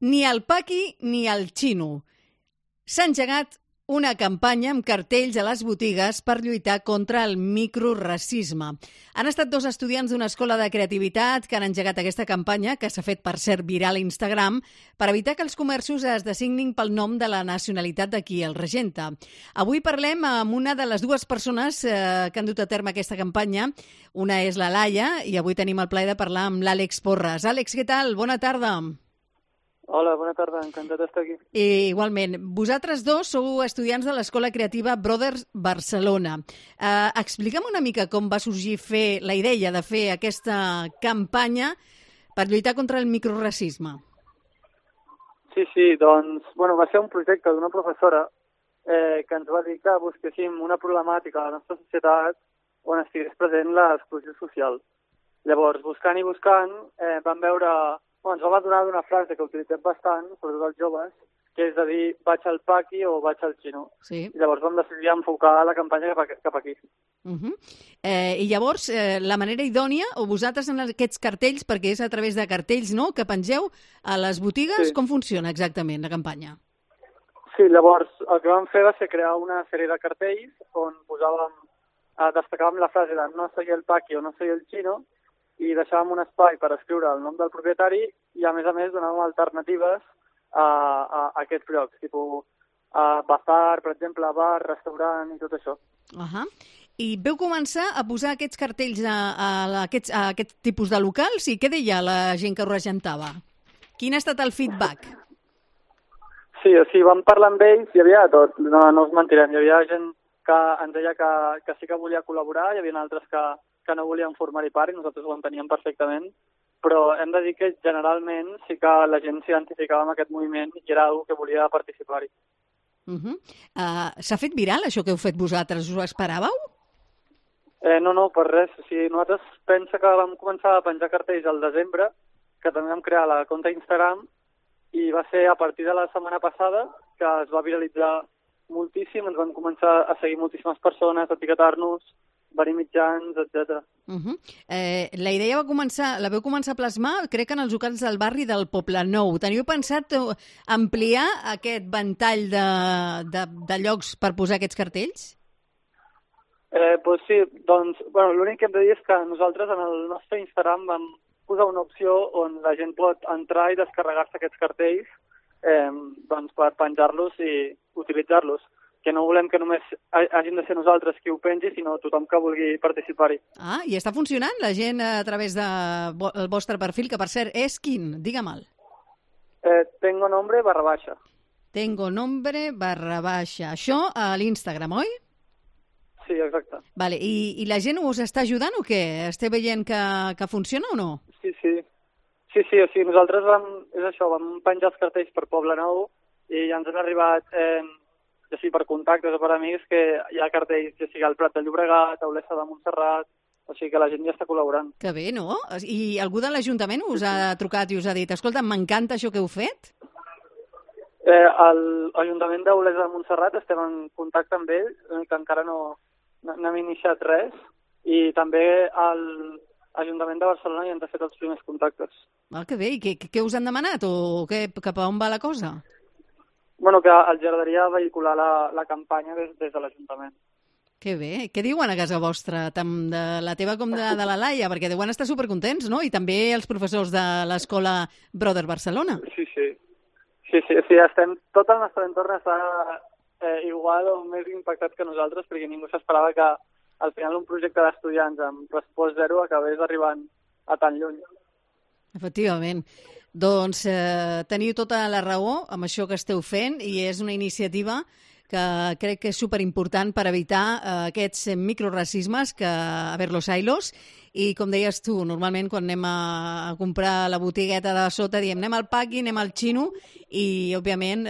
Ni el paqui ni el xino. S'ha engegat una campanya amb cartells a les botigues per lluitar contra el microracisme. Han estat 2 estudiants d'una escola de creativitat que han engegat aquesta campanya, que s'ha fet, per cert, viral a Instagram, per evitar que els comerços es designin pel nom de la nacionalitat de qui els regenta. Avui parlem amb una de les 2 persones que han dut a terme aquesta campanya. Una és la Laia i avui tenim el plaer de parlar amb l'Àlex Porras. Àlex, què tal? Bona tarda. Hola, bona tarda, encantat d'estar aquí. I igualment, vosaltres 2 sou estudiants de l'Escola Creativa Brothers Barcelona. Explica'm una mica com va sorgir la idea de fer aquesta campanya per lluitar contra el microracisme. Sí, doncs, va ser un projecte d'una professora que ens va dir que busquéssim una problemàtica a la nostra societat on estigués present l'exclusió social. Llavors, buscant i buscant, vam veure... ens va donar una frase que utilitzem bastant, sobretot els joves, que és de dir vaig al paqui o vaig al xino. Sí. I llavors vam decidir enfocar la campanya cap aquí. I llavors, la manera idònia, o vosaltres en aquests cartells, perquè és a través de cartells, no?, que pengeu a les botigues, sí. Com funciona exactament la campanya? Sí, llavors el que vam fer va ser crear una sèrie de cartells on destacàvem la frase de no soy el paqui o no soy el xino, i deixàvem un espai per escriure el nom del propietari i, a més, donàvem alternatives a aquests llocs, tipus bazar, per exemple, bar, restaurant i tot això. I veu començar a posar aquests cartells a aquest tipus de locals i què deia la gent que ho regentava? Quin ha estat el feedback? Sí, vam parlar amb ells, hi havia tot, no us mentirem, hi havia gent que ens deia que sí que volia col·laborar, hi havia altres que no volien formar-hi part i nosaltres ho enteníem perfectament, però hem de dir que generalment sí que la gent s'identificava amb aquest moviment i era algú que volia participar-hi. S'ha fet viral això que heu fet vosaltres? Us ho esperàveu? No, per res. Nosaltres pensa que vam començar a penjar cartells al desembre, que també vam crear la compte Instagram, i va ser a partir de la setmana passada que es va viralitzar moltíssim, ens van començar a seguir moltíssimes persones, a etiquetar-nos, venir mitjans, etc. La idea la vau començar a plasmar, crec que en els locals del barri del Poblenou. Teniu pensat ampliar aquest ventall de llocs per posar aquests cartells? Sí, doncs, l'únic que hem de dir és que nosaltres en el nostre Instagram vam posar una opció on la gent pot entrar i descarregar-se aquests cartells per penjar-los i utilitzar-los, que no volem que només hagin de ser nosaltres qui ho pengi, sinó tothom que vulgui participar-hi. I està funcionant la gent a través del vostre perfil, que per cert és quin? Digue-me'l. Tengo nombre _. Tengo nombre _ Això a l'Instagram, oi? Sí, exacte. Vale. I la gent us està ajudant o què? Esteu veient que funciona o no? Sí, nosaltres vam penjar els cartells per Poblenou i ja ens han arribat... ja sigui per contactes o per amics, que hi ha cartells, ja sigui al Prat de Llobregat, a Olesa de Montserrat, o sigui que la gent ja està col·laborant. Que bé, no? I algú de l'Ajuntament us ha trucat i us ha dit escolta, m'encanta això que heu fet? L'Ajuntament d'Olesa de Montserrat estem en contacte amb ells, que encara no hem iniciat res, i també l'Ajuntament de Barcelona ja ens ha fet els primers contactes. Que bé, i què us han demanat o cap a on va la cosa? Que els agradaria vehicular la campanya des de l'Ajuntament. Que bé. Què diuen a casa vostra, tant de la teva com de la Laia? Perquè deuen estar supercontents, no? I també els professors de l'Escola Brothers Barcelona. Sí. Tot el nostre entorn està igual o més impactat que nosaltres, perquè ningú s'esperava que al final un projecte d'estudiants amb pressupost zero acabés arribant a tan lluny. Efectivament. Doncs teniu tota la raó amb això que esteu fent i és una iniciativa que crec que és superimportant per evitar aquests microracismes a ver los ailos. I com deies tu, normalment quan anem a comprar la botigueta de sota diem anem al paqui, anem al xino i òbviament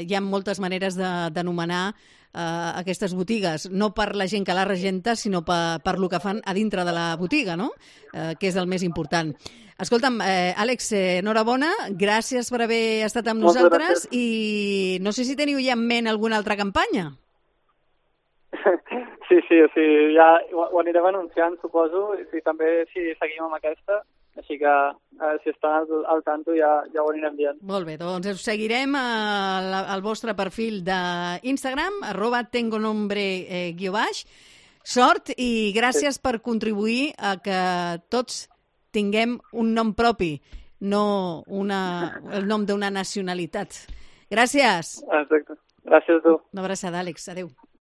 hi ha moltes maneres d'anomenar aquestes botigues, no per la gent que la regenta, sinó per lo que fan a dintre de la botiga, no? Que és el més important. Escolta'm, Àlex, enhorabona, gràcies per haver estat amb nosaltres i no sé si teniu ja en ment alguna altra campanya. Sí, ja ho anirem anunciant, suposo, i també si seguim amb aquesta Així que si estan al tanto ja ho anirem dient. Molt bé, doncs us seguirem al vostre perfil d'Instagram, @tengonombre_. Sort i gràcies per contribuir a que tots tinguem un nom propi, no el nom d'una nacionalitat. Gràcies. Exacte. Gràcies a tu. Una abraçada, Àlex. Adéu.